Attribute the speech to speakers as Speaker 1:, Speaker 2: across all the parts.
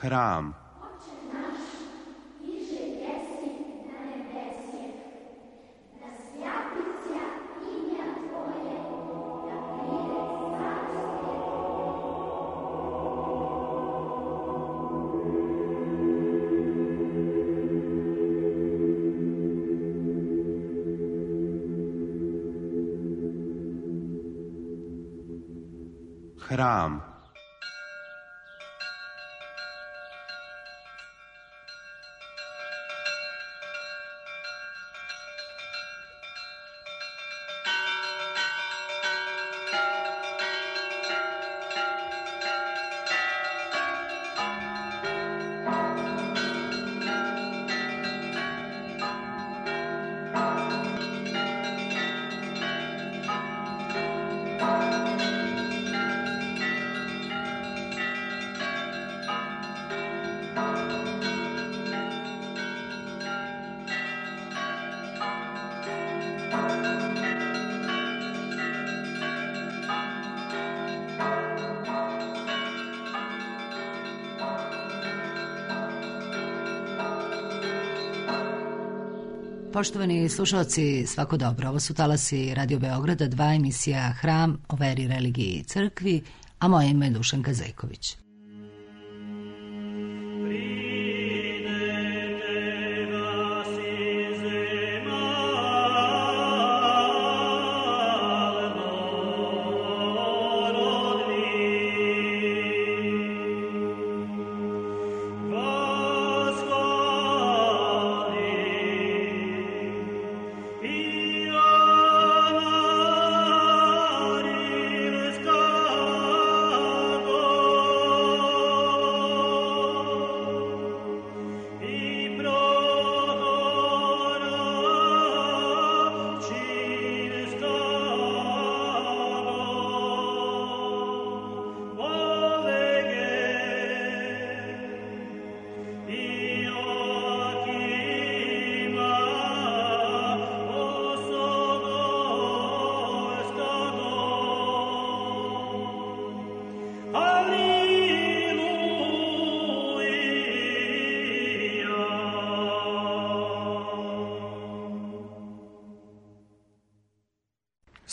Speaker 1: Hram. Hram.
Speaker 2: Poštovani slušalci, svako dobro. Ovo su talasi Radio Beograda, 2 emisija Hram o veri, religiji i crkvi, a moje ime je Dušanka Zajković.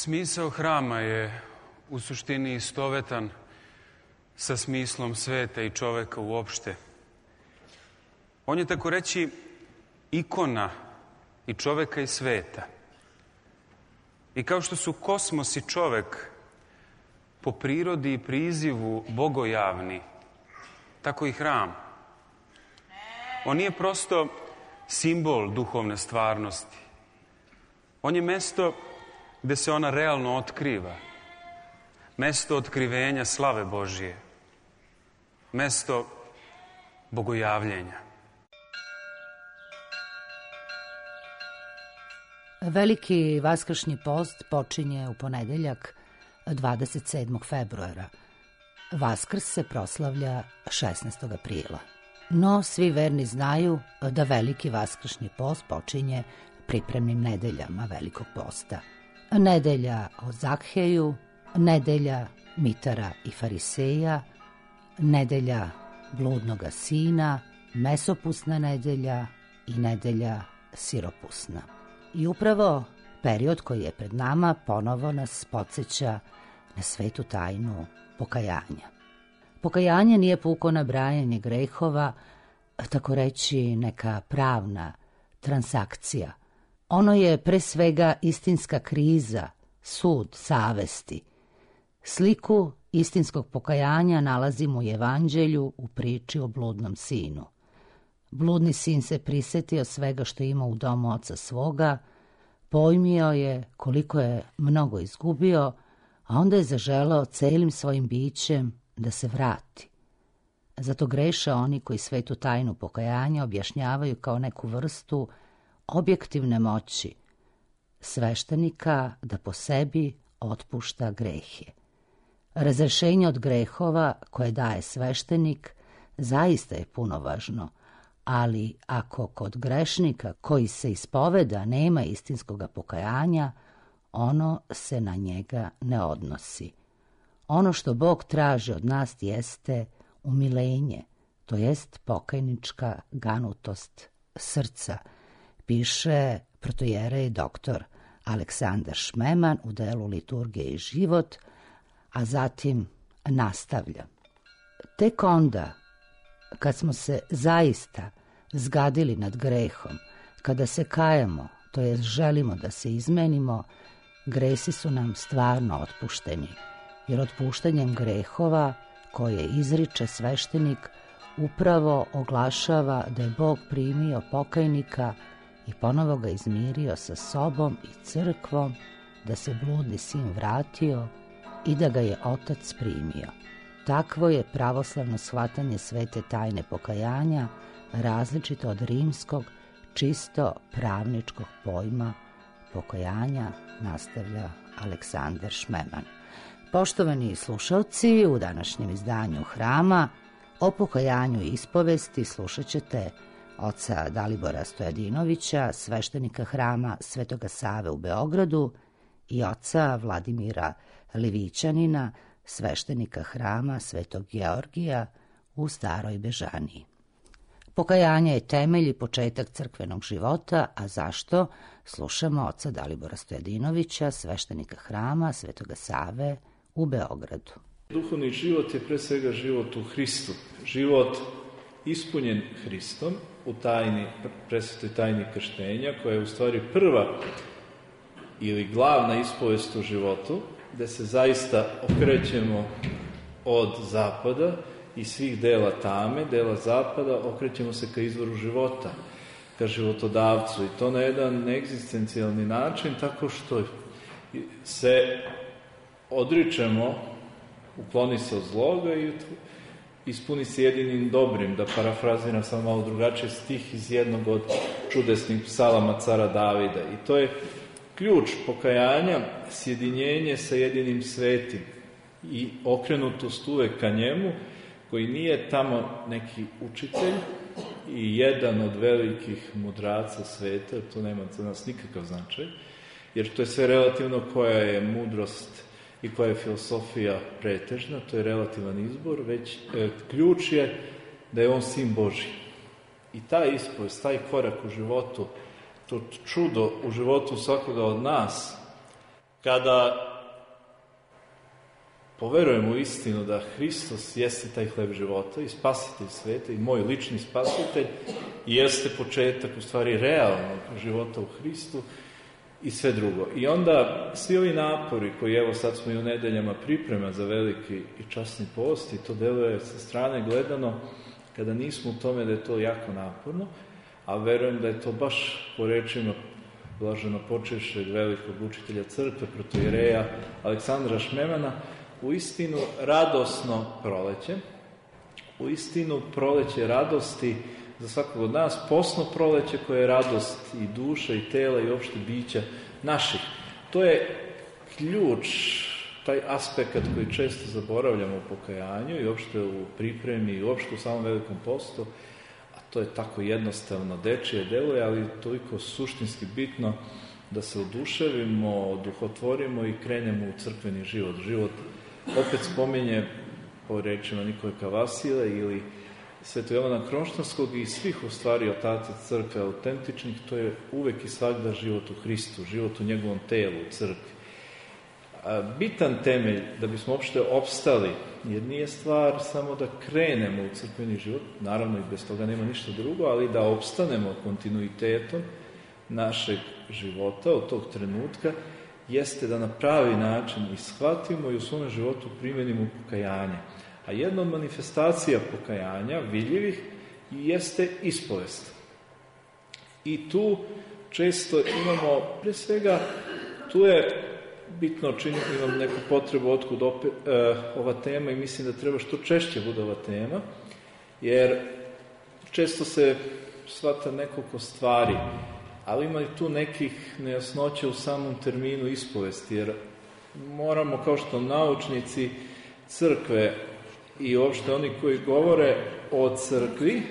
Speaker 3: Smisao hrama je u suštini istovetan sa smislom sveta i čoveka uopšte. On je, tako reći, ikona i čoveka i sveta. I kao što su kosmos i čovek po prirodi i prizivu bogojavni, tako i hram. On nije prosto simbol duhovne stvarnosti. On je mesto gde se ona realno otkriva. Mesto otkrivenja slave Božije. Mesto bogojavljenja.
Speaker 2: Veliki vaskršnji post počinje u ponedeljak 27. februara. Vaskrs se proslavlja 16. aprila. No, svi verni znaju da veliki vaskršnji post počinje pripremnim nedeljama Velikog posta. Nedelja o Zakheju, nedelja Mitara i Fariseja, nedelja bludnoga sina, mesopusna nedelja i nedelja siropusna. I upravo period koji je pred nama ponovo nas podsjeća na svetu tajnu pokajanja. Pokajanje nije puko nabrajanje grehova, tako reći neka pravna transakcija. Ono je pre svega istinska kriza, sud savesti. Sliku istinskog pokajanja nalazimo u Evanđelju u priči o bludnom sinu. Bludni sin se prisetio svega što ima u domu oca svoga, pojmio je koliko je mnogo izgubio, a onda je zaželeo celim svojim bićem da se vrati. Zato greše oni koji svetu tajnu pokajanja objašnjavaju kao neku vrstu objektivne moći sveštenika da po sebi otpušta grehe. Razrešenje od grehova koje daje sveštenik zaista je punovažno, ali ako kod grešnika koji se ispoveda nema istinskoga pokajanja, ono se na njega ne odnosi. Ono što Bog traži od nas jeste umilenje, to jest pokajnička ganutost srca, piše protojerej doktor Aleksandar Šmeman u delu Liturgija i život, a zatim nastavlja. Tek onda, kad smo se zaista zgadili nad grehom, kada se kajemo, to jest želimo da se izmenimo, gresi su nam stvarno otpušteni, jer otpuštanjem grehova koje izriče sveštenik upravo oglašava da je Bog primio pokajnika i ponovo ga izmirio sa sobom i crkvom, da se bludni sin vratio i da ga je Otac primio. Takvo je pravoslavno shvatanje svete tajne pokajanja, različito od rimskog, čisto pravničkog pojma pokajanja, nastavlja Aleksandar Šmeman. Poštovani slušalci, u današnjem izdanju Hrama o pokajanju i ispovesti slušat ćete oca Dalibora Stojadinovića, sveštenika Hrama Svetoga Save u Beogradu, i oca Vladimira Livićanina, sveštenika Hrama Svetog Georgija u Staroj Bežaniji. Pokajanje je temelj i početak crkvenog života, a zašto? Slušamo oca Dalibora Stojadinovića, sveštenika Hrama Svetoga Save u Beogradu.
Speaker 1: Duhovni život je pre svega život u Hristu, život ispunjen Hristom u tajni, presvetoj tajni krštenja, koja je u stvari prva ili glavna ispovest u životu, gde se zaista okrećemo od zapada i svih dela tame, dela zapada, okrećemo se ka izvoru života, ka životodavcu, i to na jedan egzistencijalni način, tako što se odričemo, ukloni se od zloga i ispuni se jedinim dobrim, da parafraziram samo malo drugačije stih iz jednog od čudesnih psalama cara Davida. I to je ključ pokajanja, sjedinjenje sa jedinim svetim i okrenutost uvek ka njemu, koji nije tamo neki učitelj i jedan od velikih mudraca sveta, to nema za nas nikakav značaj, jer to je sve relativno, koja je mudrost i koja je filosofija pretežna, to je relativan izbor, već ključ je da je on sin Božji. I taj ispovest, taj korak u životu, to čudo u životu svakoga od nas, kada poverujemo u istinu da Hristos jeste taj hleb života i spasitelj sveta i moj lični spasitelj, i jeste početak u stvari realnog života u Hristu i sve drugo. I onda svi ovi napori koji, evo sad smo i u nedeljama priprema za veliki i časni post, i to deluje sa strane gledano, kada nismo u tome, da je to jako naporno, a verujem da je to baš po rečima blaženo počešćeg velikog učitelja crkve, protojereja Aleksandra Šmemana, u istinu radosno proleće, u istinu proleće radosti za svakog od nas, posno proleće koje je radost i duša i tela i opšte bića naših. To je ključ, taj aspekt koji često zaboravljamo u pokajanju i opšte u pripremi i opšte u samom velikom postu, a to je tako jednostavno dečije deluje, ali toliko suštinski bitno da se oduševimo, oduhotvorimo i krenemo u crkveni život. Život opet spominje po rečima Nikole Kavasile ili Svetog Jovana Kronštanskog i svih u stvari otaca crkve autentičnih, to je uvek i svakda život u Hristu, život u njegovom telu, u crkvi. Bitan temelj da bismo uopšte opstali, jer nije stvar samo da krenemo u crkveni život, naravno i bez toga nema ništa drugo, ali da opstanemo kontinuitetom našeg života od tog trenutka, jeste da na pravi način ishvatimo i u svom životu primenimo pokajanje. A jedna od manifestacija pokajanja, vidljivih, jeste ispovest. I tu često imamo, pre svega, tu je bitno, imam neku potrebu otkud ova tema, i mislim da treba što češće bude ova tema, jer često se shvata nekoliko stvari, ali ima i tu nekih nejasnoća u samom terminu ispovesti, jer moramo, kao što naučnici crkve i uopšte oni koji govore o crkvi,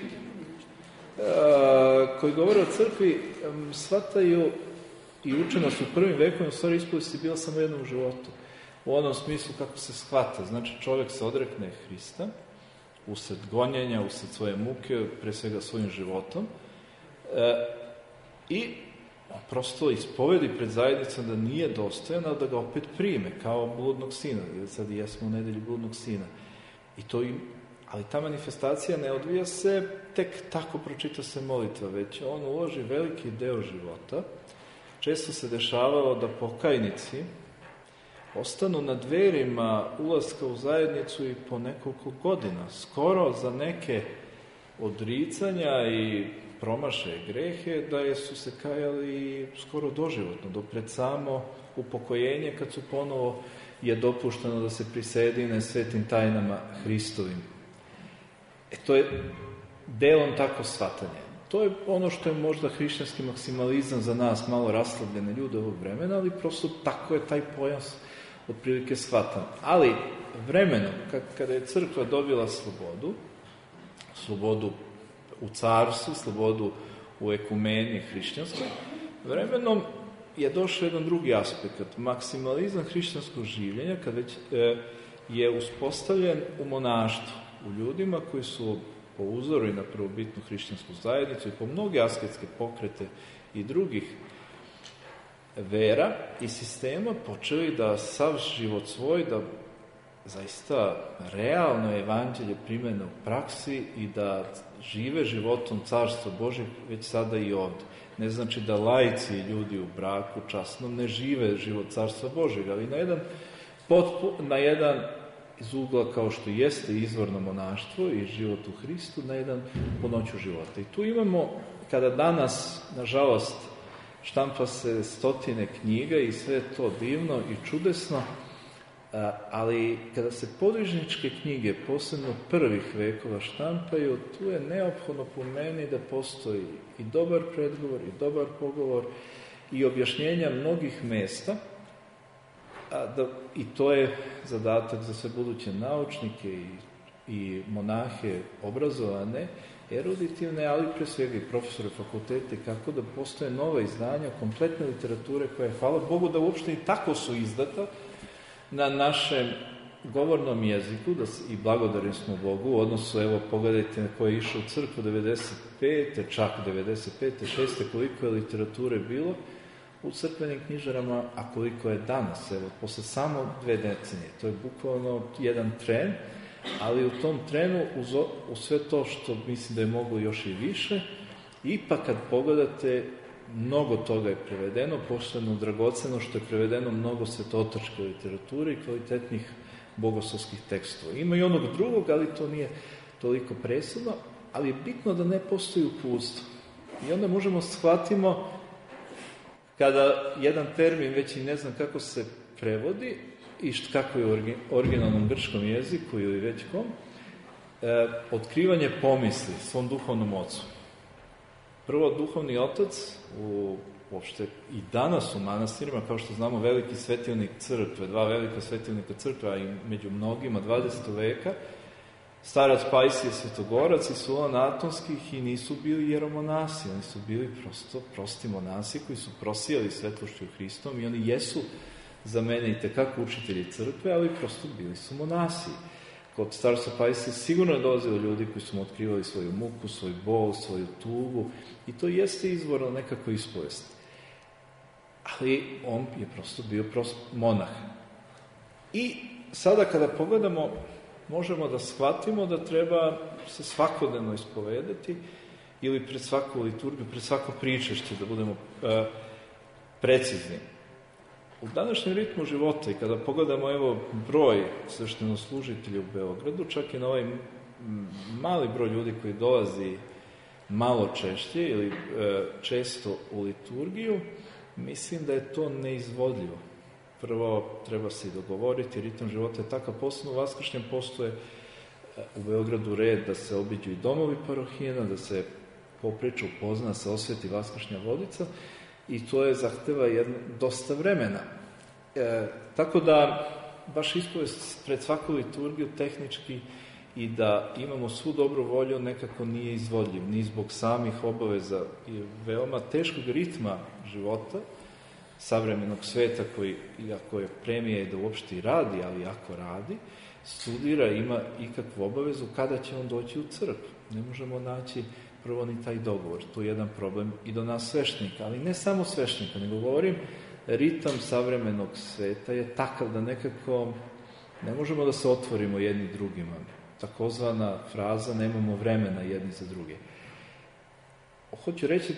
Speaker 1: shvataju i uče nas u prvim vekovima, u stvari ispovest je bila samo jedna u životu. U onom smislu kako se shvata. Znači, čovjek se odrekne Hrista, usred gonjenja, usred svoje muke, pre svega svojim životom. I prosto ispovedi pred zajednicom da nije dostojan, ali da ga opet prime, kao bludnog sina. Sad jesmo u nedelji bludnog sina. Ali ta manifestacija ne odvija se tek tako pročita se molitva, već on uloži veliki deo života. Često se dešavalo da pokajnici ostanu na dverima ulaska u zajednicu i po nekoliko godina, skoro za neke odricanja i promašaje grehe, da su se kajali skoro doživotno, do pred samo upokojenje, kad su ponovo je dopušteno da se prisedine svetim tajnama Hristovim. To je delom tako shvatanje. To je ono što je možda hrišćanski maksimalizam za nas, malo raslavljene ljude ovog vremena, ali prosto tako je taj pojam otprilike shvatan. Ali vremenom, kada je crkva dobila slobodu u carstvu, slobodu u ekumeniji hrišćanskoj, vremenom je došao jedan drugi aspekt, maksimalizam hrišćanskog življenja, kad već je uspostavljen u monaštvu, u ljudima koji su po uzoru i na prvobitnu hrišćansku zajednicu i po mnoge asketske pokrete i drugih vera i sistema počeli da sav život svoj, da zaista realno evanđelje primene u praksi i da žive životom Carstva Božeg već sada i ovdje. Ne znači da laici i ljudi u braku časnom ne žive život Carstva Božeg, ali na jedan iz ugla kao što jeste izvorno monaštvo i život u Hristu, na jedan punoću života. I tu imamo, kada danas, nažalost, štampa se stotine knjiga i sve je to divno i čudesno, ali kada se podvižničke knjige, posebno prvih vekova, štampaju, tu je neophodno po meni da postoji i dobar predgovor, i dobar pogovor, i objašnjenja mnogih mesta, i to je zadatak za sve buduće naučnike i monahe obrazovane, eruditivne, ali pre svega i profesore fakultete, kako da postoje nova izdanja, kompletne literature koja, hvala Bogu, da uopšte i tako su izdata na našem govornom jeziku, i blagodarni smo Bogu, u odnosu, evo, pogledajte na koje je išao u crkvu 95. čak 95. 6. koliko je literature bilo u crkvenim knjižarama, a koliko je danas, evo, posle samo 2 decenije. To je bukvalno jedan tren, ali u tom trenu, u sve to što mislim da je moglo još i više, ipak kad pogledate, mnogo toga je prevedeno, posebno dragoceno što je prevedeno mnogo svetotačke literature i kvalitetnih bogoslovskih tekstova. Ima i onog drugog, ali to nije toliko presudno, ali je bitno da ne postoji uputstvo. I onda možemo shvatimo, kada jedan termin, već i ne znam kako se prevodi, i kako je u originalnom grčkom jeziku ili već kom, otkrivanje pomisli svom duhovnom ocu. Prvo, duhovni otac, uopšte i danas u manastirima, kao što znamo, veliki svetilnik crkve, 2 velika svetilnika crkve, a i među mnogima 20. veka, starac Pajsije Svetogorac i Sulan Atonskih, i nisu bili jeromonasi, oni su bili prosti monasi koji su prosijali svetlošću Hristom, i oni jesu za mene i tekako učitelji crkve, ali prosto bili su monasi. Kod starca Pajsije sigurno je dolazilo ljudi koji su mu otkrivali svoju muku, svoj bol, svoju tugu, i to jeste izvorno nekako ispovest. Ali on je prosto bio monah. I sada kada pogledamo, možemo da shvatimo da treba se svakodnevno ispovedati, ili pred svaku liturgiju, pred svako pričešće, da budemo precizni. U današnjem ritmu života, i kada pogledamo, evo, broj sveštenoslужitelja u Beogradu, čak i na ovaj mali broj ljudi koji dolazi malo češće ili često u liturgiju, mislim da je to neizvodljivo. Prvo, treba se i dogovoriti, ritam života je takav, posebno u Vaskršnjem postoje u Beogradu red da se obiđu i domovi parohijena, da se popriča, upozna, se osveti Vaskršnja vodica, i to je zahteva dosta vremena. Tako da, baš ispovest pred svaku liturgiju tehnički i da imamo svu dobru volju nekako nije izvodljiv, ni zbog samih obaveza i veoma teškog ritma života, savremenog sveta koji, iako je premija i da uopšte i radi, ali ako radi, studira, ima ikakvu obavezu kada će on doći u crkvu. Ne možemo naći prvo ni taj dogovor. Tu je jedan problem i do nas sveštenika, ali ne samo sveštenika, nego govorim, ritam savremenog sveta je takav da nekako ne možemo da se otvorimo jedni drugima. Takozvana fraza nemamo vremena jedni za druge. Hoću reći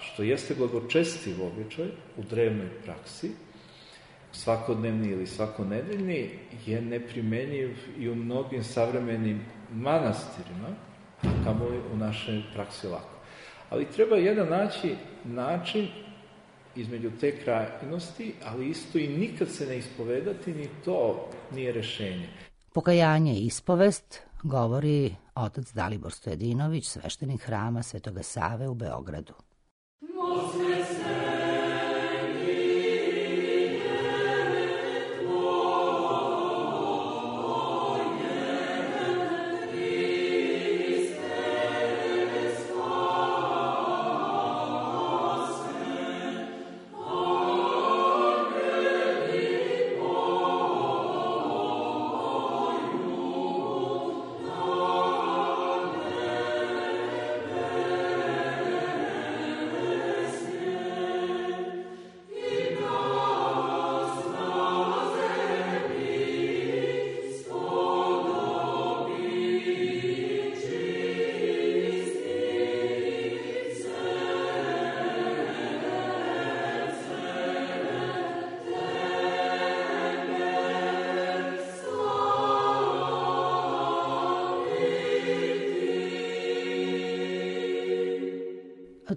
Speaker 1: što jeste blagočestiv običaj u drevnoj praksi, svakodnevni ili svakonedeljni, je neprimenjiv i u mnogim savremenim manastirima, kamo u našoj praksi lako. Ali treba jedan način između te krajnosti, ali isto i nikad se ne ispovedati, ni to nije rešenje.
Speaker 2: Pokajanje i ispovest govori otac Dalibor Stojadinović, sveštenik hrama Svetoga Save u Beogradu.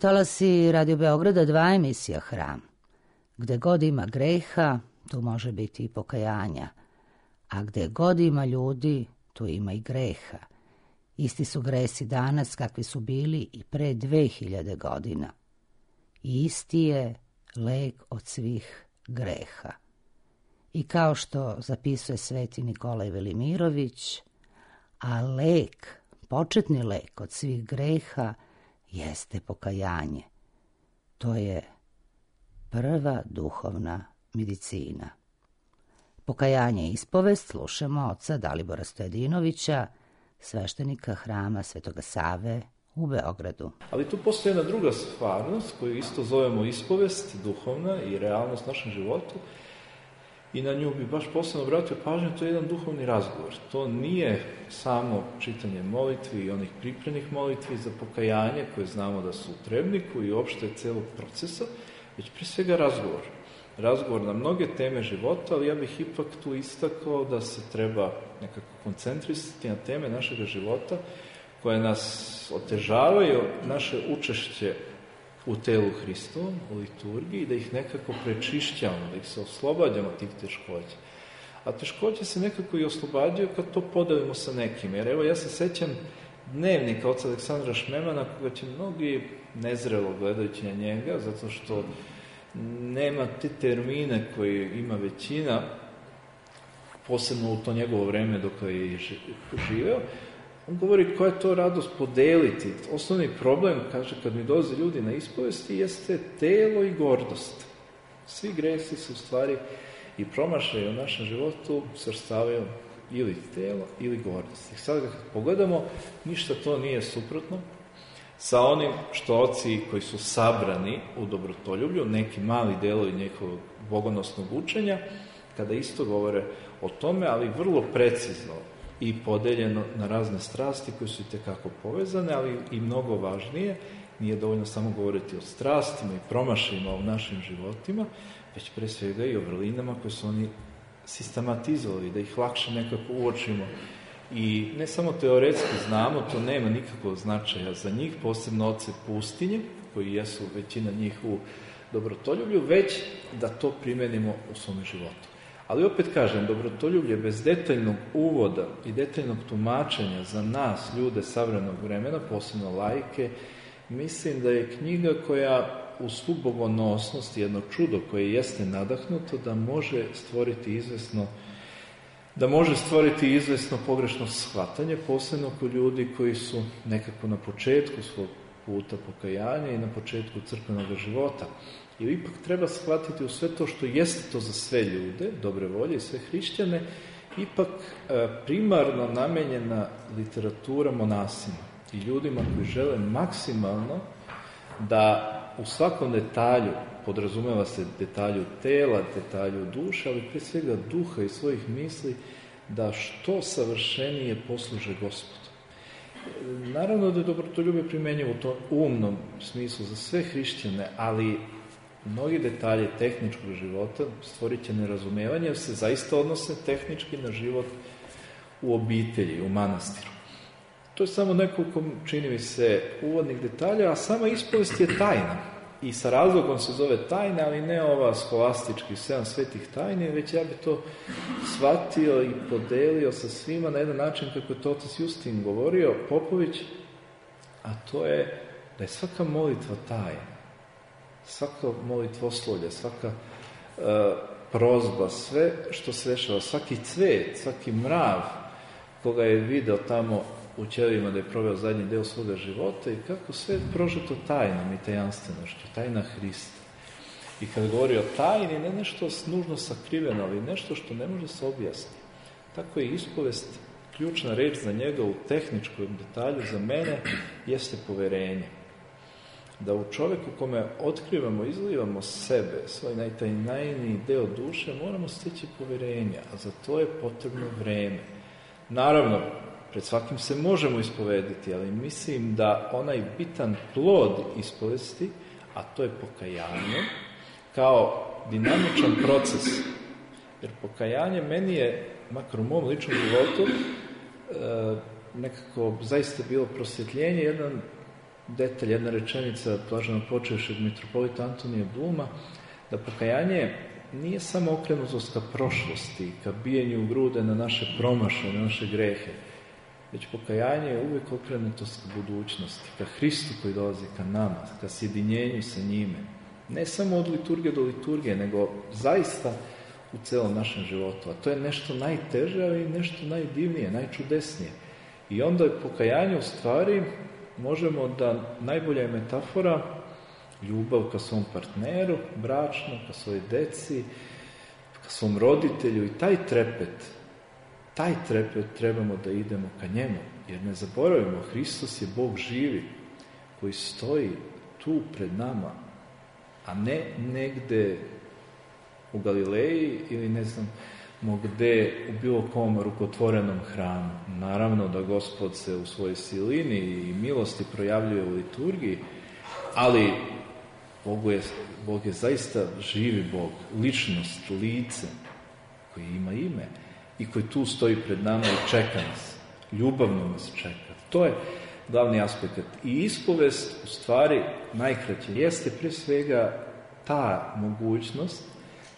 Speaker 2: Talasi Radio Beograda 2 emisija Hram. Gde god ima greha, tu može biti i pokajanja, a gde god ima ljudi, tu ima i greha. Isti su gresi danas kakvi su bili i pre 2000 godina. I isti je lek od svih greha. I kao što zapisuje sveti Nikolaj Velimirović, a lek, početni lek od svih greha, jeste pokajanje. To je prva duhovna medicina. Pokajanje i ispovest slušamo oca Dalibora Stojadinovića, sveštenika hrama Svetoga Save u Beogradu.
Speaker 1: Ali tu postoji jedna druga stvarnost koju isto zovemo ispovest, duhovna i realnost u našem životu. I na nju bi baš posebno obratio pažnju, to je jedan duhovni razgovor. To nije samo čitanje molitvi i onih pripremnih molitvi za pokajanje koje znamo da su u trebniku i uopšte celog procesa, već pre svega razgovor. Razgovor na mnoge teme života, ali ja bih ipak tu istakao da se treba nekako koncentrisati na teme našeg života koje nas otežavaju naše učešće u telu Hristovom, u liturgiji, da ih nekako prečišćamo, da ih se oslobađamo tih teškoća. A teškoće se nekako i oslobađaju kad to podelimo sa nekim. Jer evo, ja se sećam dnevnika oca Aleksandra Šmemana, koga će mnogi nezrelo gledajući na njega, zato što nema te termine koje ima većina, posebno u to njegovo vreme dok je živeo. On govori koja je to radost podeliti. Osnovni problem, kaže, kad mi dolaze ljudi na ispovesti, jeste telo i gordost. Svi gresi se u stvari i promašaju u našem životu svrstavaju ili telo ili gordost. I sad kad pogledamo, ništa to nije suprotno sa onim što oci koji su sabrani u dobrotoljublju, neki mali delovi njihovog bogonosnog učenja, kada isto govore o tome, ali vrlo precizno i podeljeno na razne strasti koje su itekako povezane, ali i mnogo važnije, nije dovoljno samo govoriti o strastima i promašajima u našim životima, već pre svega i o vrlinama koje su oni sistematizovali, da ih lakše nekako uočimo. I ne samo teoretski znamo, to nema nikakvog značaja za njih, posebno oce pustinje, koji jesu većina njih u dobrotoljublju, već da to primenimo u svome životu. Ali opet kažem, dobrotoljublje bez detaljnog uvoda i detaljnog tumačenja za nas, ljude savremenog vremena, posebno laike, mislim da je knjiga koja u svu bogonosnost, jedno čudo koje jeste nadahnuto, da može stvoriti izvesno pogrešno shvatanje, posebno kod ljudi koji su nekako na početku svog puta pokajanja i na početku crkvenog života. I ipak treba shvatiti u sve to što jeste to za sve ljude, dobre volje i sve hrišćane, ipak primarno namenjena literatura monasima i ljudima koji žele maksimalno da u svakom detalju, podrazumeva se detalju tela, detalju duše, ali pre svega duha i svojih misli, da što savršenije posluže Gospodu. Naravno da je dobrotoljublje primenjivo u tom umnom smislu za sve hrišćane, ali mnogi detalje tehničkog života stvorit će nerazumevanje, jer se zaista odnose tehnički na život u obitelji, u manastiru. To je samo nekoliko, čini mi se, uvodnih detalja, a sama ispovest je tajna. I sa razlogom se zove tajna, ali ne ova scholastički 7 svetih tajni, već ja bi to shvatio i podelio sa svima na jedan način kako je to otac Justin govorio, Popović, a to je da je svaka molitva tajna. Svaka molitvoslovlja, svaka prozba, sve što se dešava, svaki cvet, svaki mrav koga je video tamo u ćelijima da je proveo zadnji deo svoga života i kako sve je prožeto tajnom i tajanstvenošću, tajna Hrista. I kad govori o tajni, ne nešto nužno sakriveno, ali nešto što ne može se objasniti. Tako je ispovest, ključna reč za njega u tehničkom detalju, za mene, jeste poverenje. Da u čoveku kome otkrivamo, izlivamo sebe, svoj najtajniji deo duše, moramo steći poverenja, a za to je potrebno vreme. Naravno, pred svakim se možemo ispovediti, ali mislim da onaj bitan plod ispovesti, a to je pokajanje, kao dinamičan proces. Jer pokajanje meni je, makar u mom ličnom životu, nekako zaista bilo prosvjetljenje, jedan detalj, jedna rečenica blaženo počevšeg mitropolita Antonija Bluma, da pokajanje nije samo okrenutost ka prošlosti, ka bijenju u grude na naše promašaje, na naše grehe, već pokajanje je uvijek okrenutost ka budućnosti, ka Hristu koji dolazi ka nama, ka sjedinjenju sa njime. Ne samo od liturgije do liturgije, nego zaista u celom našem životu. A to je nešto najteže, ali i nešto najdivnije, najčudesnije. I onda je pokajanje u stvari, možemo da, najbolja je metafora, ljubav ka svom partneru, bračno, ka svojoj deci, ka svom roditelju i taj trepet trebamo da idemo ka njemu. Jer ne zaboravimo, Hristos je Bog živi, koji stoji tu pred nama, a ne negde u Galileji ili ne znam gde u bilo kom rukotvorenom hramu. Naravno da Gospod se u svojoj silini i milosti projavljuje u liturgiji, ali Bog je zaista živi Bog, ličnost, lice, koji ima ime i koji tu stoji pred nama i čeka nas, ljubavno nas čeka. To je glavni aspekt. I ispovest, u stvari, najkraće, jeste pre svega ta mogućnost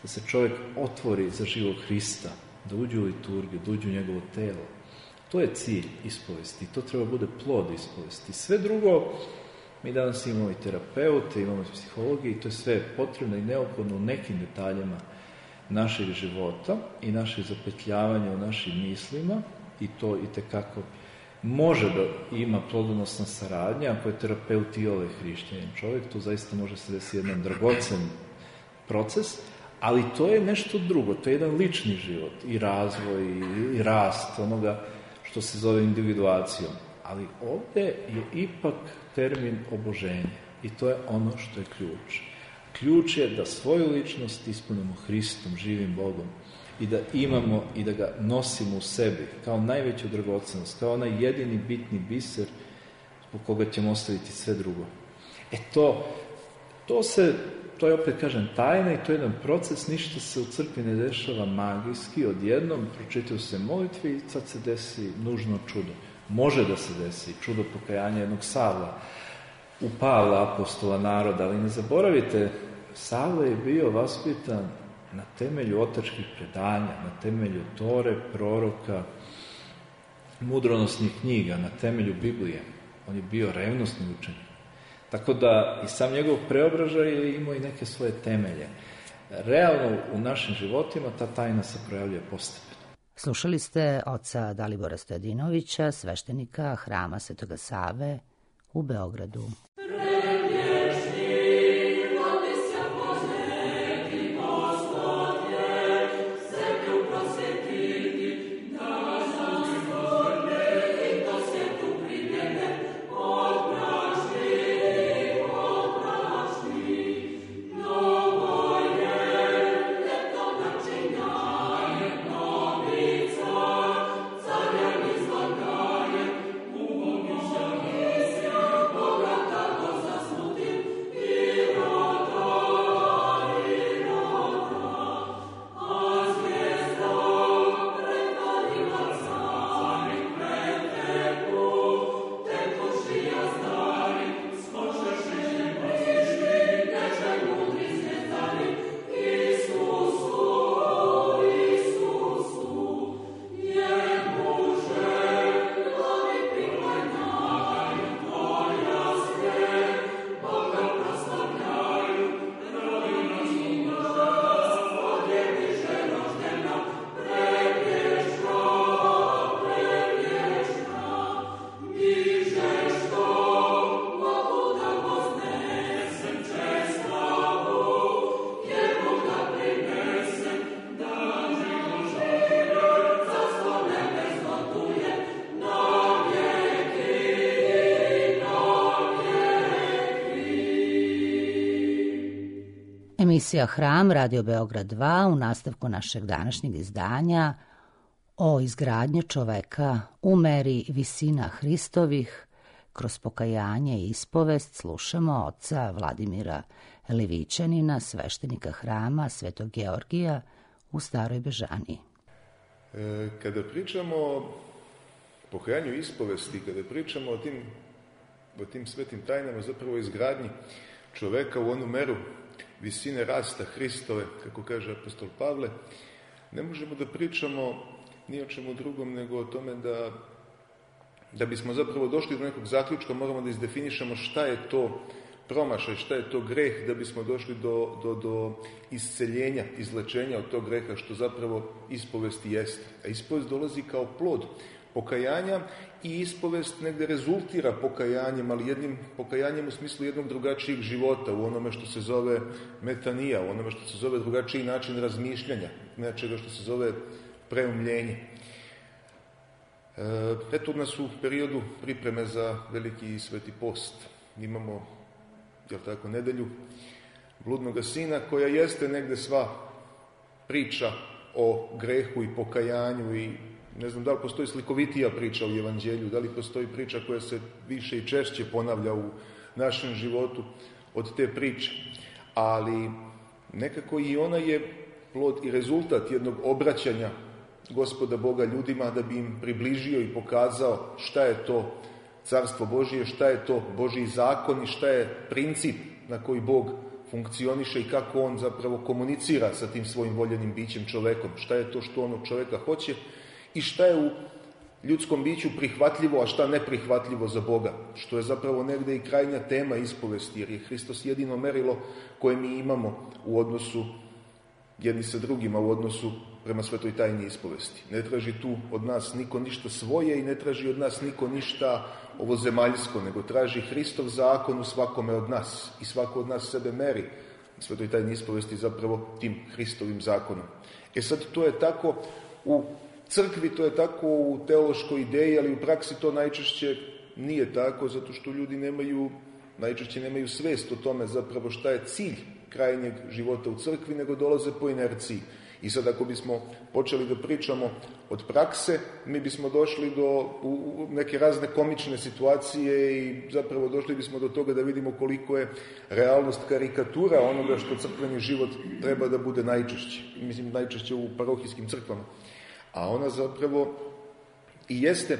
Speaker 1: da se čovjek otvori za živog Hrista, da uđe u liturgiju, da uđe u njegovo telo. To je cilj ispovesti, to treba bude plod ispovesti. Sve drugo, mi danas imamo i terapeute, imamo i psihologije, i to je sve potrebno i neophodno u nekim detaljima našeg života i našeg zapetljavanja u našim mislima, i to itekako može da ima plodonosna saradnja, ako je terapeut iole hrišćanin čovjek, tu zaista može se desiti jedan dragocen proces, ali to je nešto drugo, to je jedan lični život i razvoj i rast onoga što se zove individuacijom. Ali ovdje je ipak termin oboženje i to je ono što je ključ. Ključ je da svoju ličnost ispunimo Hristom, živim Bogom, i da imamo i da ga nosimo u sebi kao najveću dragocenost, kao onaj jedini bitni biser zbog koga ćemo ostaviti sve drugo. To je opet, kažem, tajna i to je jedan proces, ništa se u crkvi ne dešava magijski, odjednom pročitaju se molitve i sad se desi nužno čudo. Može da se desi čudo pokajanja jednog Savla, u Pavla, apostola naroda, ali ne zaboravite, Savle je bio vaspitan na temelju otačkih predanja, na temelju Tore, proroka, mudronosnih knjiga, na temelju Biblije. On je bio revnosni učenik. Tako da i sam njegov preobražaj je imao i neke svoje temelje. Realno u našim životima ta tajna se projavljuje postepeno.
Speaker 2: Slušali ste oca Dalibora Stojadinovića, sveštenika Hrama Svetoga Save u Beogradu. Emisija Hram, Radio Beograd 2, u nastavku našeg današnjeg izdanja o izgradnji čoveka u meri visina Hristovih. Kroz pokajanje i ispovest slušamo oca Vladimira Livićanina, sveštenika Hrama Svetog Georgija u Staroj Bežaniji.
Speaker 4: Kada pričamo o pokajanju i ispovesti, kada pričamo o tim svetim tajnama, zapravo izgradnji čoveka u onu meru visine rasta Hristove, kako kaže apostol Pavle, ne možemo da pričamo ni o čemu drugom nego o tome da bismo zapravo došli do nekog zaključka, moramo da izdefinišemo šta je to promašaj, šta je to greh, da bismo došli do isceljenja, izlečenja od tog greha, što zapravo ispovesti jeste. A ispovest dolazi kao plod pokajanja i ispovest negde rezultira pokajanjem, ali jednim pokajanjem u smislu jednog drugačijeg života, u onome što se zove metanija, u onome što se zove drugačiji način razmišljanja, nečega što se zove preumljenje. Eto nas u periodu pripreme za veliki sveti post. Imamo, nedelju bludnoga sina, koja jeste negde sva priča o grehu i pokajanju i ne znam da li postoji slikovitija priča u Evanđelju, da li postoji priča koja se više i češće ponavlja u našem životu od te priče. Ali nekako i ona je plod i rezultat jednog obraćanja Gospoda Boga ljudima, da bi im približio i pokazao šta je to Carstvo Božije, šta je to Božji zakon i šta je princip na koji Bog funkcioniše i kako on zapravo komunicira sa tim svojim voljenim bićem čovekom, šta je to što on od čoveka hoće i šta je u ljudskom biću prihvatljivo, a šta neprihvatljivo za Boga, što je zapravo negde i krajnja tema ispovesti, jer je Hristos jedino merilo koje mi imamo u odnosu jedni sa drugima, u odnosu prema svetoj tajni ispovesti. Ne traži tu od nas niko ništa svoje i ne traži od nas niko ništa ovozemaljsko, nego traži Hristov zakon u svakome od nas i svako od nas sebe meri svetoj tajni ispovesti zapravo tim Hristovim zakonom. Sad to je tako u crkvi, to je tako u teološkoj ideji, ali u praksi to najčešće nije tako, zato što ljudi najčešće nemaju svest o tome zapravo šta je cilj krajnjeg života u crkvi, nego dolaze po inerciji. I sad ako bismo počeli da pričamo od prakse, mi bismo došli u neke razne komične situacije i zapravo došli bismo do toga da vidimo koliko je realnost karikatura onoga što crkveni život treba da bude najčešće. Mislim, najčešće u parohijskim crkvama. A ona zapravo i jeste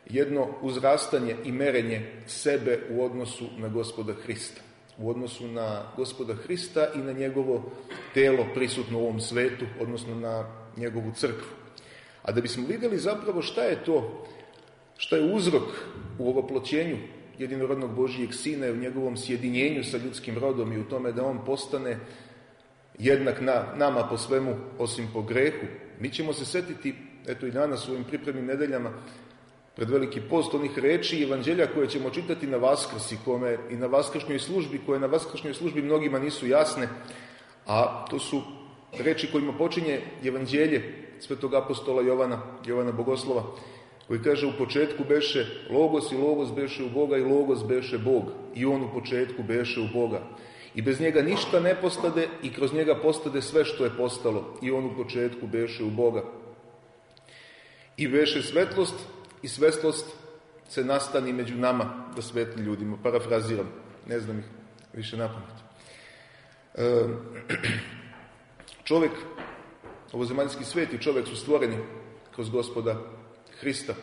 Speaker 4: jedno uzrastanje i merenje sebe u odnosu na Gospoda Hrista. U odnosu na Gospoda Hrista i na njegovo telo prisutno u ovom svetu, odnosno na njegovu crkvu. A da bismo vidjeli zapravo šta je to, šta je uzrok u ovoploćenju jedinorodnog Božijeg Sina i u njegovom sjedinjenju sa ljudskim rodom i u tome da on postane jednak nama po svemu osim po grehu, mi ćemo se setiti, eto i danas u ovim pripremnim nedeljama, pred veliki post onih reči i evanđelja koje ćemo čitati na Vaskrs i na vaskršnjoj službi, koje na vaskršnjoj službi mnogima nisu jasne, a to su reči kojima počinje evanđelje svetog apostola Jovana Bogoslova, koji kaže: u početku beše Logos i Logos beše u Boga i Logos beše Bog i on u početku beše u Boga. I bez njega ništa ne postade i kroz njega postade sve što je postalo i on u početku beše u Boga. I beše svetlost i svetlost se nastani među nama da svetli ljudima. Parafraziram, ne znam ih više napamet. Čovjek, ovozemaljski svet i čovjek su stvoreni kroz Gospoda Hrista,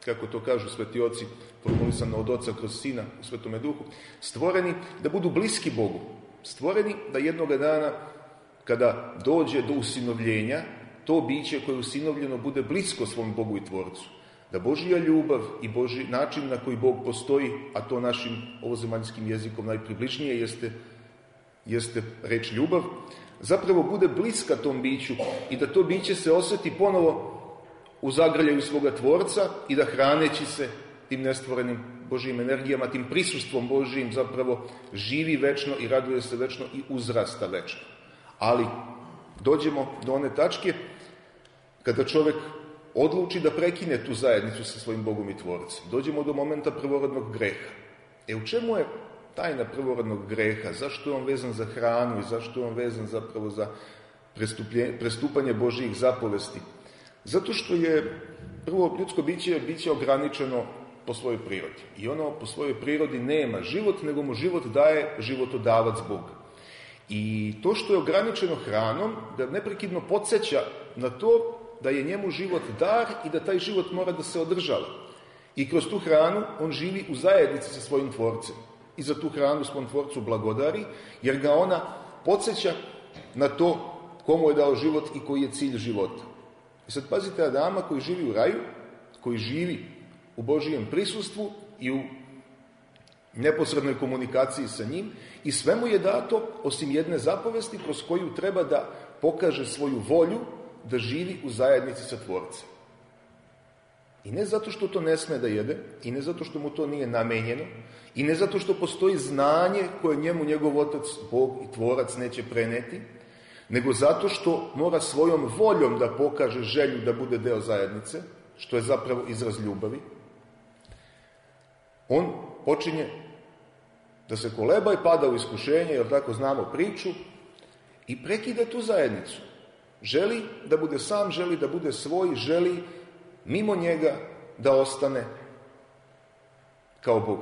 Speaker 4: kako to kažu sveti oci, formulisano od Oca kroz Sina u Svetome Duhu, stvoreni da budu bliski Bogu, stvoreni da jednoga dana, kada dođe do usinovljenja, to biće koje je usinovljeno bude blisko svom Bogu i Tvorcu. Da Božja ljubav i Božji način na koji Bog postoji, a to našim ovozemaljskim jezikom najpribližnije jeste reč ljubav, zapravo bude bliska tom biću i da to biće se osjeti ponovo u zagrljaju svoga Tvorca i da hraneći se tim nestvorenim Božjim energijama, tim prisustvom Božjim zapravo živi večno i raduje se večno i uzrasta večno. Ali dođemo do one tačke kada čovjek odluči da prekine tu zajednicu sa svojim Bogom i Tvorcem. Dođemo do momenta prvorodnog greha. U čemu je tajna prvorodnog greha, zašto je on vezan za hranu i zašto je on vezan zapravo za prestupanje Božjih zapovesti. Zato što je prvo ljudsko biće ograničeno po svojoj prirodi. I ono po svojoj prirodi nema život, nego mu život daje životodavac Bog. I to što je ograničeno hranom, da neprekidno podsjeća na to da je njemu život dar i da taj život mora da se održava. I kroz tu hranu on živi u zajednici sa svojim tvorcem. I za tu hranu svom tvorcu blagodari, jer ga ona podsjeća na to komu je dao život i koji je cilj života. I sad pazite Adama koji živi u raju, koji živi u Božijem prisustvu i u neposrednoj komunikaciji sa njim, i sve mu je dato, osim jedne zapovesti kroz koju treba da pokaže svoju volju da živi u zajednici sa tvorcem. I ne zato što to ne sme da jede, i ne zato što mu to nije namenjeno, i ne zato što postoji znanje koje njemu njegov otac, Bog i tvorac neće preneti, nego zato što mora svojom voljom da pokaže želju da bude deo zajednice, što je zapravo izraz ljubavi. On počinje da se koleba i pada u iskušenje, jer tako znamo priču, i prekida tu zajednicu. Želi da bude sam, želi da bude svoj, želi mimo njega da ostane kao Bog.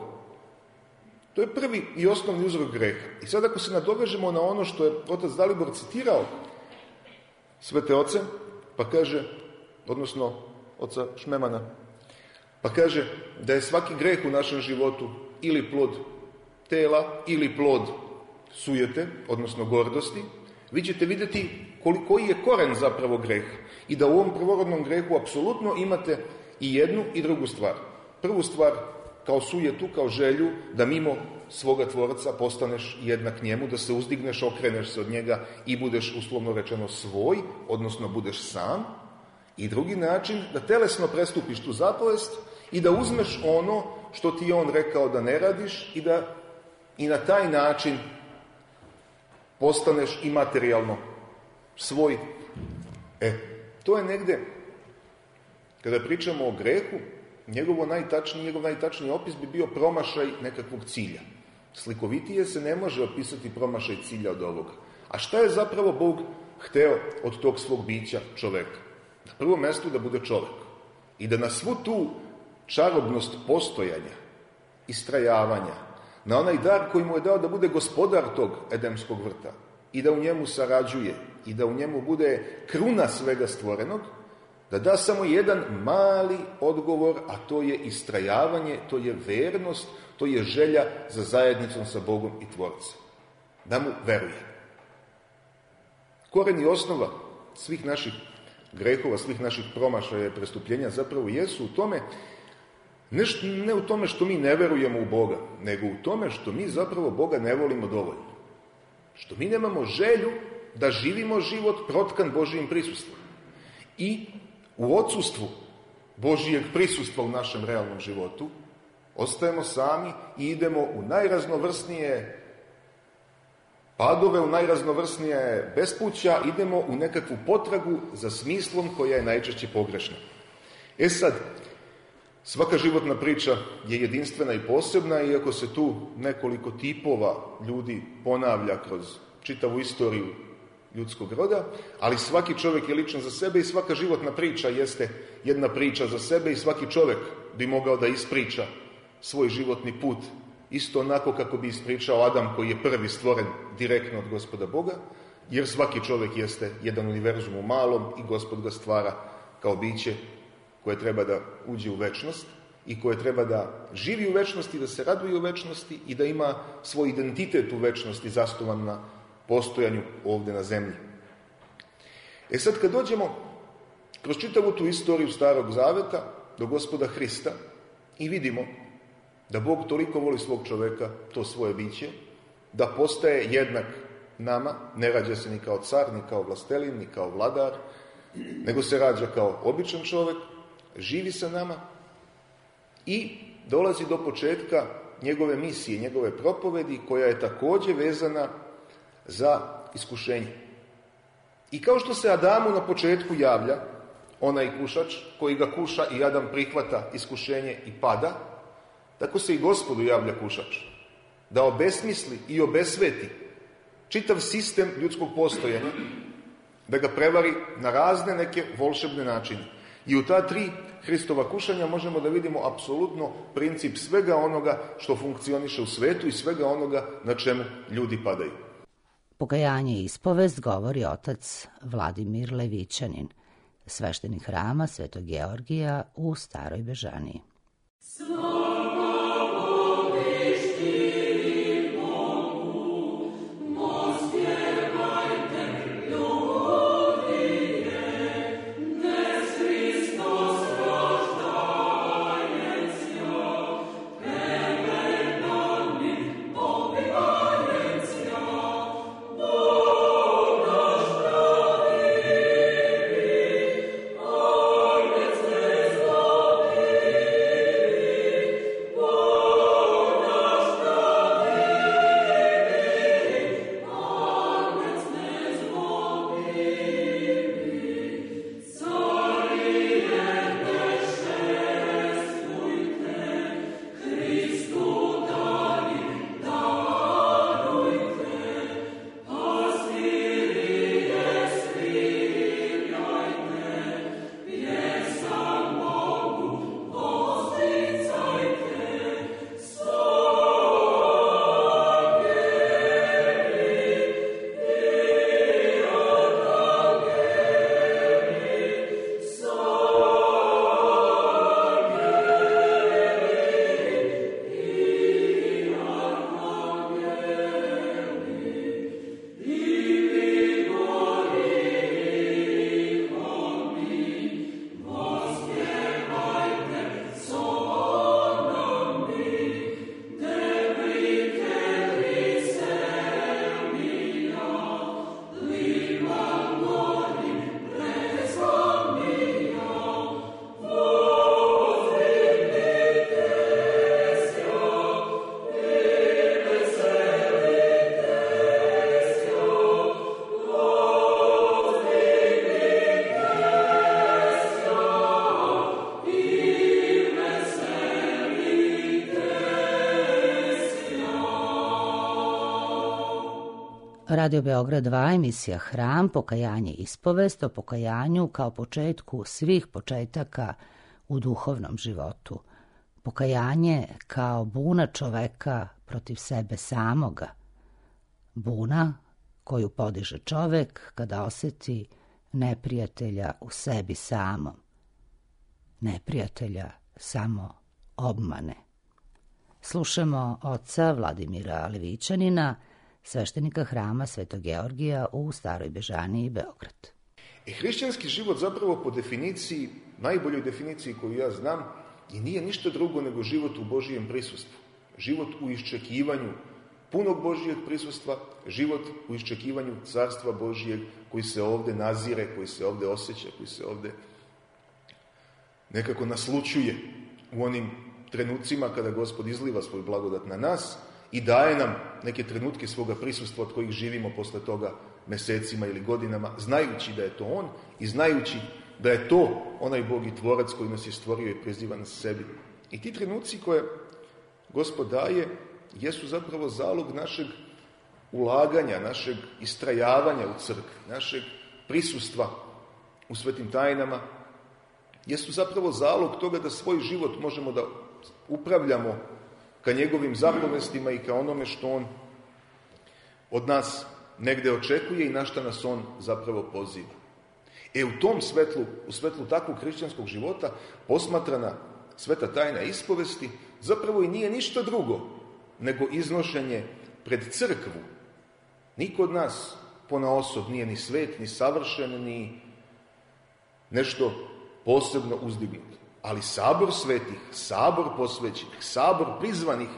Speaker 4: To je prvi i osnovni uzrok greha. I sad ako se nadovežemo na ono što je otac Dalibor citirao svete oce, pa kaže, odnosno oca Šmemana, pa kaže da je svaki greh u našem životu ili plod tela ili plod sujete, odnosno gordosti, vi ćete vidjeti koji je koren zapravo greha. I da u ovom prvorodnom grehu apsolutno imate i jednu i drugu stvar. Prvu stvar kao sujetu, kao želju da mimo svoga tvorca postaneš jednak njemu, da se uzdigneš, okreneš se od njega i budeš uslovno rečeno svoj, odnosno budeš sam. I drugi način, da telesno prestupiš tu zapovest i da uzmeš ono što ti je on rekao da ne radiš i da i na taj način postaneš i materijalno svoj. To je negde, kada pričamo o grehu, njegov najtačniji opis bi bio promašaj nekakvog cilja. Slikovitije se ne može opisati promašaj cilja od ovoga. A šta je zapravo Bog hteo od tog svog bića čoveka? Na prvom mestu da bude čovek. I da na svu tu čarobnost postojanja, istrajavanja, na onaj dar koji mu je dao da bude gospodar tog edemskog vrta i da u njemu sarađuje i da u njemu bude kruna svega stvorenog, da da samo jedan mali odgovor, a to je istrajavanje, to je vernost, to je želja za zajednicom sa Bogom i Tvorcem. Da mu veruje. Koren i osnova svih naših grehova, svih naših promašaja i prestupljenja zapravo jesu u tome, ne u tome što mi ne verujemo u Boga, nego u tome što mi zapravo Boga ne volimo dovoljno. Što mi nemamo želju da živimo život protkan Božijim prisustvom. I u odsustvu Božijeg prisustva u našem realnom životu ostajemo sami i idemo u najraznovrsnije padove, u najraznovrsnije bespuća, idemo u nekakvu potragu za smislom koja je najčešće pogrešna. Sad, svaka životna priča je jedinstvena i posebna, iako se tu nekoliko tipova ljudi ponavlja kroz čitavu istoriju ljudskog roda, ali svaki čovjek je ličan za sebe i svaka životna priča jeste jedna priča za sebe i svaki čovjek bi mogao da ispriča svoj životni put isto onako kako bi ispričao Adam koji je prvi stvoren direktno od Gospoda Boga, jer svaki čovjek jeste jedan univerzum u malom i Gospod ga stvara kao biće koje treba da uđe u večnost i koje treba da živi u večnosti, da se raduje u večnosti i da ima svoj identitet u večnosti zasnovan na postojanju ovdje na zemlji. Sad kad dođemo kroz čitavu tu istoriju Starog Zaveta do Gospoda Hrista i vidimo da Bog toliko voli svog čoveka, to svoje biće, da postaje jednak nama, ne rađa se ni kao car, ni kao vlastelin, ni kao vladar, nego se rađa kao običan čovek, živi sa nama i dolazi do početka njegove misije, njegove propovedi, koja je također vezana za iskušenje. I kao što se Adamu na početku javlja onaj kušač koji ga kuša i Adam prihvata iskušenje i pada, tako se i Gospodu javlja kušač. da obesmisli i obesveti čitav sistem ljudskog postojanja, da ga prevari na razne neke volšebne načine. I u ta 3 Hristova kušanja možemo da vidimo apsolutno princip svega onoga što funkcioniše u svetu i svega onoga na čemu ljudi padaju.
Speaker 2: Pokajanje i ispovest govori otac Vladimir Levićanin, sveštenik hrama Svetog Georgija u Staroj Bežaniji. Radio Beograd 2, emisija Hram, pokajanje i ispovest o pokajanju kao početku svih početaka u duhovnom životu. Pokajanje kao buna čoveka protiv sebe samoga. Buna koju podiže čovek kada oseti neprijatelja u sebi samom. Neprijatelja samo obmane. Slušamo oca Vladimira Levićanina, sveštenika hrama Svetog Georgija u Staroj Bežaniji, Beograd.
Speaker 4: Hrišćanski život zapravo po definiciji, najboljoj definiciji koju ja znam, i nije ništa drugo nego život u Božijem prisustvu. Život u iščekivanju punog Božijeg prisustva, život u iščekivanju Carstva Božijeg koji se ovde nazire, koji se ovde osjeća, koji se ovde nekako naslućuje u onim trenucima kada Gospod izliva svoj blagodat na nas i daje nam neke trenutke svoga prisustva od kojih živimo posle toga mesecima ili godinama, znajući da je to On i znajući da je to onaj Bog i Tvorac koji nas je stvorio i priziva nas sebi. I ti trenuci koje Gospod daje jesu zapravo zalog našeg ulaganja, našeg istrajavanja u crkvi, našeg prisustva u svetim tajnama, jesu zapravo zalog toga da svoj život možemo da upravljamo ka njegovim zapovestima i ka onome što on od nas negde očekuje i na šta nas on zapravo poziva. U tom svetlu, u svetlu takvog hrišćanskog života, posmatrana sveta tajna ispovesti zapravo i nije ništa drugo nego iznošenje pred crkvu. Niko od nas ponaosob nije ni svet, ni savršen, ni nešto posebno uzdignut. Ali sabor svetih, sabor posvećenih, sabor prizvanih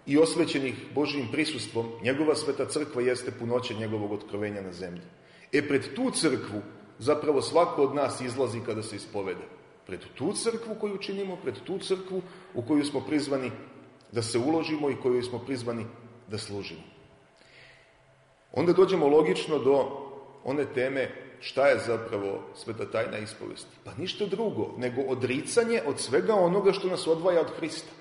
Speaker 4: i osvećenih Božijim prisustvom, njegova sveta crkva jeste punoća njegovog otkrovenja na zemlji. Pred tu crkvu zapravo svako od nas izlazi kada se ispoveda. Pred tu crkvu koju činimo, pred tu crkvu u koju smo prizvani da se uložimo i koju smo prizvani da služimo. Onda dođemo logično do one teme šta je zapravo sveta tajna ispovesti. Pa ništa drugo nego odricanje od svega onoga što nas odvaja od Hrista.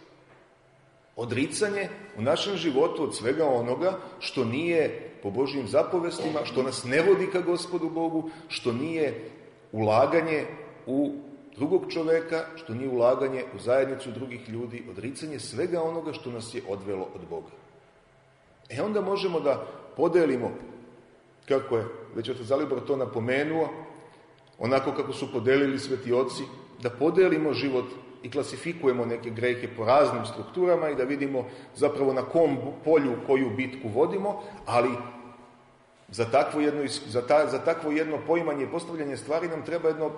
Speaker 4: Odricanje u našem životu od svega onoga što nije po Božjim zapovestima, što nas ne vodi ka Gospodu Bogu, što nije ulaganje u drugog čoveka, što nije ulaganje u zajednicu drugih ljudi, odricanje svega onoga što nas je odvelo od Boga. Onda možemo da podelimo, kako je već otac Zalibor to napomenuo, onako kako su podelili sveti oci, da podelimo život i klasifikujemo neke grehe po raznim strukturama i da vidimo zapravo na kom polju koju bitku vodimo, ali za takvo jedno poimanje i postavljanje stvari nam treba jedno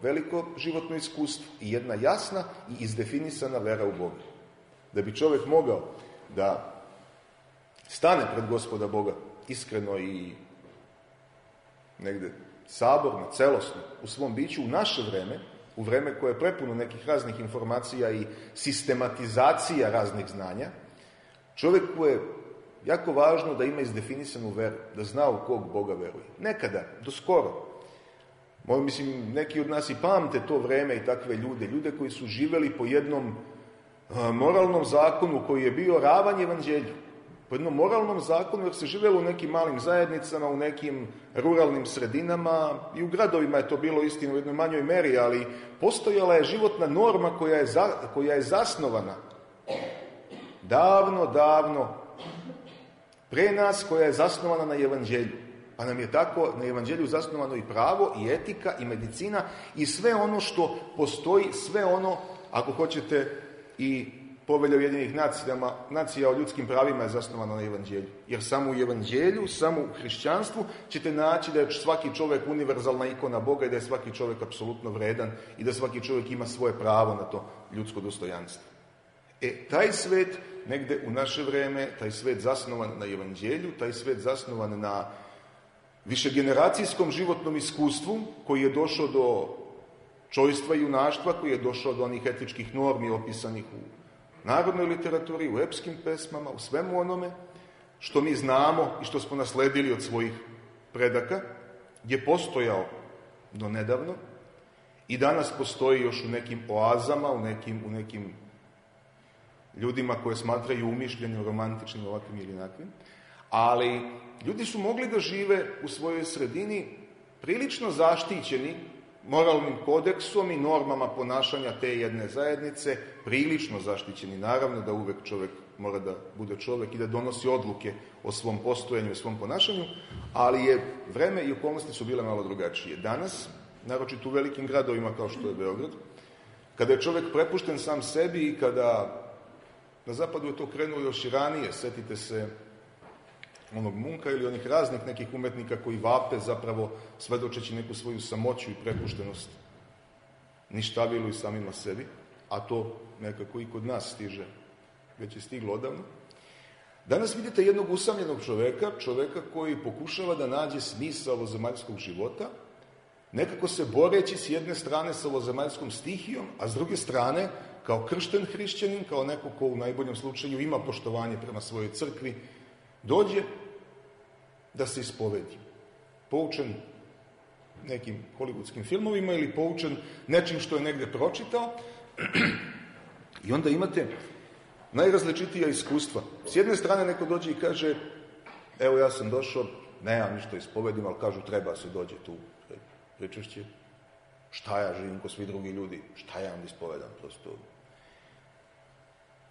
Speaker 4: veliko životno iskustvo i jedna jasna i izdefinisana vera u Boga. Da bi čovjek mogao da stane pred Gospoda Boga iskreno i negde saborno, celosno u svom biću u naše vreme, u vreme koje je prepuno nekih raznih informacija i sistematizacija raznih znanja, čovjeku je jako važno da ima izdefinisanu veru, da zna u kog Boga veruje. Nekada, do skoro, mislim, neki od nas i pamte to vreme i takve ljude koji su živeli po jednom moralnom zakonu koji je bio ravan evanđelju. Po jednom moralnom zakonu, jer se živjelo u nekim malim zajednicama, u nekim ruralnim sredinama, i u gradovima je to bilo istina u jednoj manjoj meri, ali postojala je životna norma koja je zasnovana davno pre nas, koja je zasnovana na evanđelju. Pa nam je tako na evanđelju zasnovano i pravo, i etika, i medicina, i sve ono što postoji, sve ono, ako hoćete, i Povelja Ujedinjenih nacija o ljudskim pravima je zasnovana na evanđelju. Jer samo u evanđelju, samo u hrišćanstvu ćete naći da je svaki čovjek univerzalna ikona Boga i da je svaki čovjek apsolutno vredan i da svaki čovjek ima svoje pravo na to ljudsko dostojanstvo. Taj svet, negde u naše vreme, taj svet zasnovan na evanđelju, taj svet zasnovan na višegeneracijskom životnom iskustvu, koji je došao do čojstva i junaštva, koji je došao do onih etičkih normi opisanih u narodnoj literaturi, u epskim pesmama, u svemu onome što mi znamo i što smo nasledili od svojih predaka, je postojao do nedavno i danas postoji još u nekim oazama, u nekim ljudima koje smatraju umišljenim, romantičnim, ovakvim ili onakvim, ali ljudi su mogli da žive u svojoj sredini prilično zaštićeni moralnim kodeksom i normama ponašanja te jedne zajednice, prilično zaštićeni. Naravno da uvek čovjek mora da bude čovjek i da donosi odluke o svom postojanju i svom ponašanju, ali je vreme i okolnosti su bile malo drugačije. Danas, naročito u velikim gradovima kao što je Beograd, kada je čovjek prepušten sam sebi i kada na zapadu je to krenulo još i ranije, setite se onog Munka ili onih raznih nekih umetnika koji vape zapravo svedočeći neku svoju samoću i prepuštenost ništavilu i samima sebi, a to nekako i kod nas stiže, već je stiglo odavno. Danas vidite jednog usamljenog čoveka koji pokušava da nađe smisao ovozemaljskog života, nekako se boreći s jedne strane sa ovozemaljskom stihijom, a s druge strane kao kršten hrišćanin, kao neko ko u najboljem slučaju ima poštovanje prema svojoj crkvi, dođe da se ispovedi. Poučen nekim hollywoodskim filmovima ili poučen nečim što je negde pročitao. I onda imate najrazličitija iskustva. S jedne strane neko dođe i kaže, evo ja sam došao, nemam ništa ispovedim, ali kažu treba se dođe tu pričešće. Šta ja živim ko svi drugi ljudi? Šta ja vam ispovedam? Prosto.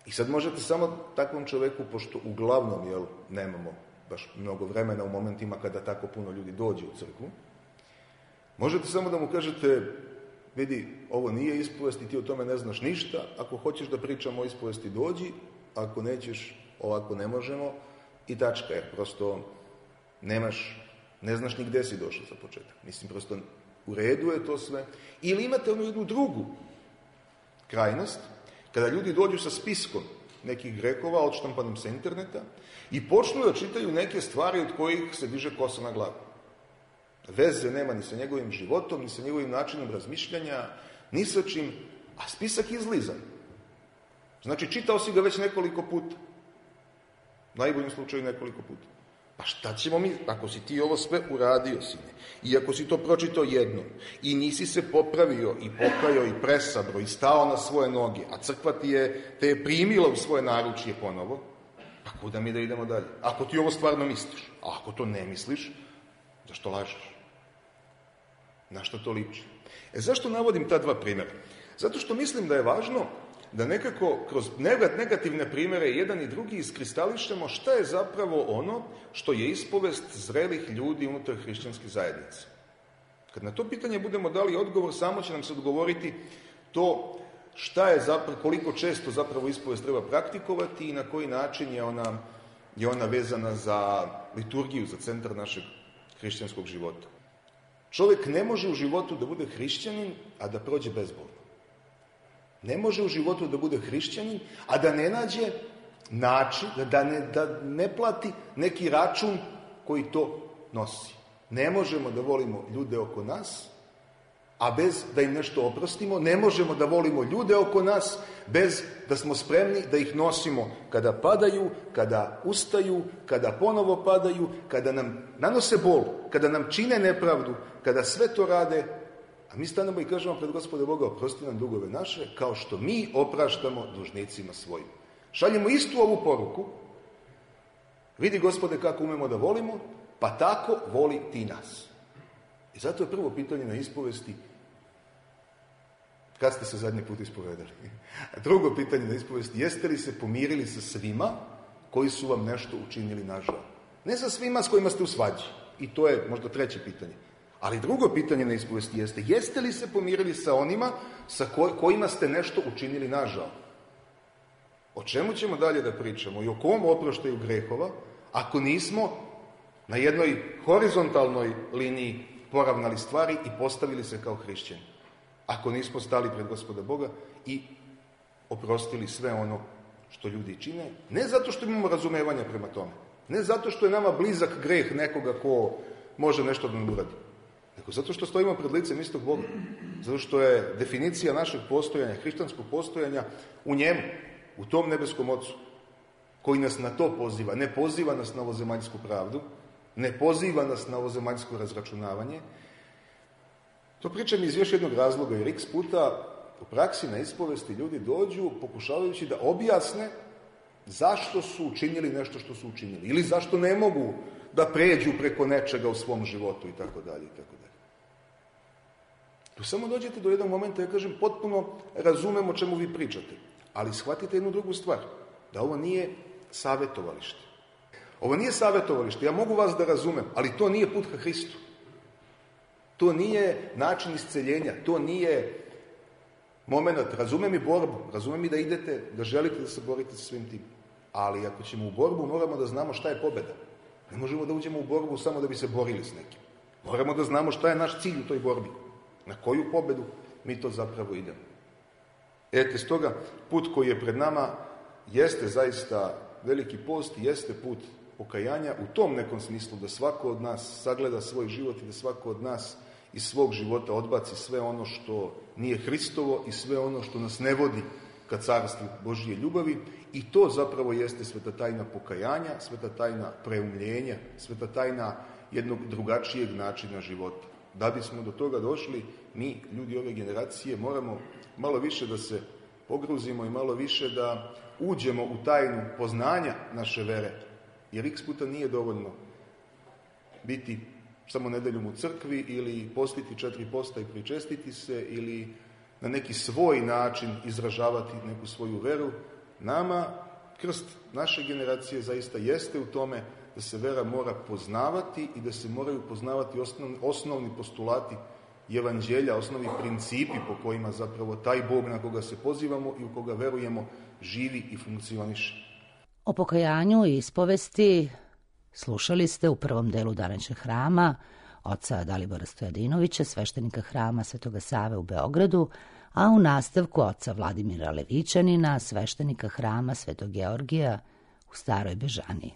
Speaker 4: I sad možete samo takvom čoveku, pošto uglavnom nemamo baš mnogo vremena u momentima kada tako puno ljudi dođe u crkvu, možete samo da mu kažete, vidi, ovo nije ispovest i ti o tome ne znaš ništa, ako hoćeš da pričamo o ispovesti dođi, ako nećeš, ovako ne možemo i tačka, jer prosto ne znaš ni gde si došao za početak. Mislim, prosto u redu je to sve. Ili imate onu jednu drugu krajnost, kada ljudi dođu sa spiskom nekih grehova odštampanim sa interneta i počnu da čitaju neke stvari od kojih se diže kosa na glavu. Veze nema ni sa njegovim životom, ni sa njegovim načinom razmišljanja, ni sa čim, a spisak je izlizan. Znači, čitao si ga već nekoliko puta. U najboljem slučaju nekoliko puta. Pa šta ćemo mi, ako si ti ovo sve uradio, sine, i ako si to pročitao jednom, i nisi se popravio, i pokajao, i presabro, i stao na svoje noge, a crkva te je primila u svoje naručje ponovo, pa kuda mi da idemo dalje? Ako ti ovo stvarno misliš, a ako to ne misliš, zašto lažeš? Na što to liči? Zašto navodim ta dva primjera? Zato što mislim da je važno da nekako kroz negativne primjere jedan i drugi iskristališemo šta je zapravo ono što je ispovest zrelih ljudi unutar hrišćanske zajednice. Kad na to pitanje budemo dali odgovor, samo će nam se odgovoriti to šta je zapravo, koliko često zapravo ispovest treba praktikovati i na koji način je ona vezana za liturgiju, za centar našeg hrišćanskog života. Čovjek ne može u životu da bude hrišćanin, a da prođe bezbolno. Ne može u životu da bude hrišćanin, a da ne nađe način, da ne plati neki račun koji to nosi. Ne možemo da volimo ljude oko nas, a bez da im nešto oprostimo. Ne možemo da volimo ljude oko nas, bez da smo spremni da ih nosimo kada padaju, kada ustaju, kada ponovo padaju, kada nam nanose bol, kada nam čine nepravdu, kada sve to rade, a mi stanemo i kažemo pred Gospoda Boga, oprosti nam dugove naše, kao što mi opraštamo dužnicima svojim. Šaljemo istu ovu poruku. Vidi, Gospode, kako umemo da volimo, pa tako voli ti nas. I zato je prvo pitanje na ispovesti, kad ste se zadnji put ispovedali? A drugo pitanje na ispovesti, jeste li se pomirili sa svima koji su vam nešto učinili nažal? Ne sa svima s kojima ste u svađi. I to je možda treće pitanje. Ali drugo pitanje na ispovesti jeste li se pomirili sa onima sa kojima ste nešto učinili nažal? O čemu ćemo dalje da pričamo i o kom oproštaju grehova, ako nismo na jednoj horizontalnoj liniji poravnali stvari i postavili se kao hrišćani? Ako nismo stali pred Gospoda Boga i oprostili sve ono što ljudi čine, ne zato što imamo razumevanja prema tome, ne zato što je nama blizak greh nekoga ko može nešto da nam uradi, nego zato što stojimo pred licem istog Boga, zato što je definicija našeg postojanja, hrišćanskog postojanja u njemu, u tom nebeskom Ocu, koji nas na to poziva. Ne poziva nas na ovozemaljsku pravdu, ne poziva nas na ovozemaljsko razračunavanje. To pričam iz još jednog razloga, jer x puta u praksi na ispovesti ljudi dođu pokušavajući da objasne zašto su učinili nešto što su učinili, ili zašto ne mogu da pređu preko nečega u svom životu i tako dalje i tako dalje. Tu samo dođete do jednog momenta, ja kažem, potpuno razumem o čemu vi pričate, ali shvatite jednu drugu stvar, da ovo nije savjetovalište. Ovo nije savjetovalište, ja mogu vas da razumem, ali to nije put ka Hristu. To nije način isceljenja, to nije moment, razumem i borbu, razumem i da idete, da želite da se borite sa svim tim. Ali ako ćemo u borbu, moramo da znamo šta je pobjeda. Ne možemo da uđemo u borbu samo da bi se borili s nekim. Moramo da znamo šta je naš cilj u toj borbi. Na koju pobjedu mi to zapravo idemo. Stoga, put koji je pred nama jeste zaista veliki post, jeste put pokajanja u tom nekom smislu da svako od nas sagleda svoj život i da svako od nas iz svog života odbaci sve ono što nije Hristovo i sve ono što nas ne vodi ka carstvu Božije ljubavi, i to zapravo jeste sveta tajna pokajanja, sveta tajna preumljenja, sveta tajna jednog drugačijeg načina života. Da bismo do toga došli, mi, ljudi ove generacije, moramo malo više da se pogruzimo i malo više da uđemo u tajnu poznanja naše vere, jer x puta nije dovoljno biti samo nedeljom u crkvi ili postiti 4 posta i pričestiti se ili na neki svoj način izražavati neku svoju veru. Nama krst naše generacije zaista jeste u tome da se vera mora poznavati i da se moraju poznavati osnovni postulati evanđelja, osnovni principi po kojima zapravo taj Bog na koga se pozivamo i u koga verujemo živi i funkcioniše.
Speaker 2: O pokajanju i ispovesti slušali ste u prvom delu današnjeg hrama oca Dalibora Stojadinovića, sveštenika hrama Svetoga Save u Beogradu, a u nastavku oca Vladimira Levićanina, sveštenika hrama Svetog Georgija u Staroj Bežaniji.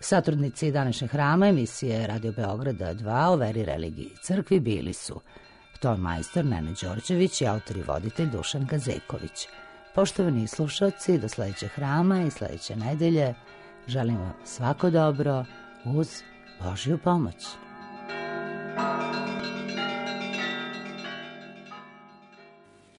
Speaker 2: Satrudnici današnjeg hrama emisije Radio Beograda 2 o veri, religiji i crkvi bili su ton majstor Nenad Đorđević i autor i voditelj Dušan Gazeković. Poštovani slušalci, do sledećeg hrama i sledeće nedelje želim vam svako dobro uz Božju pomoć.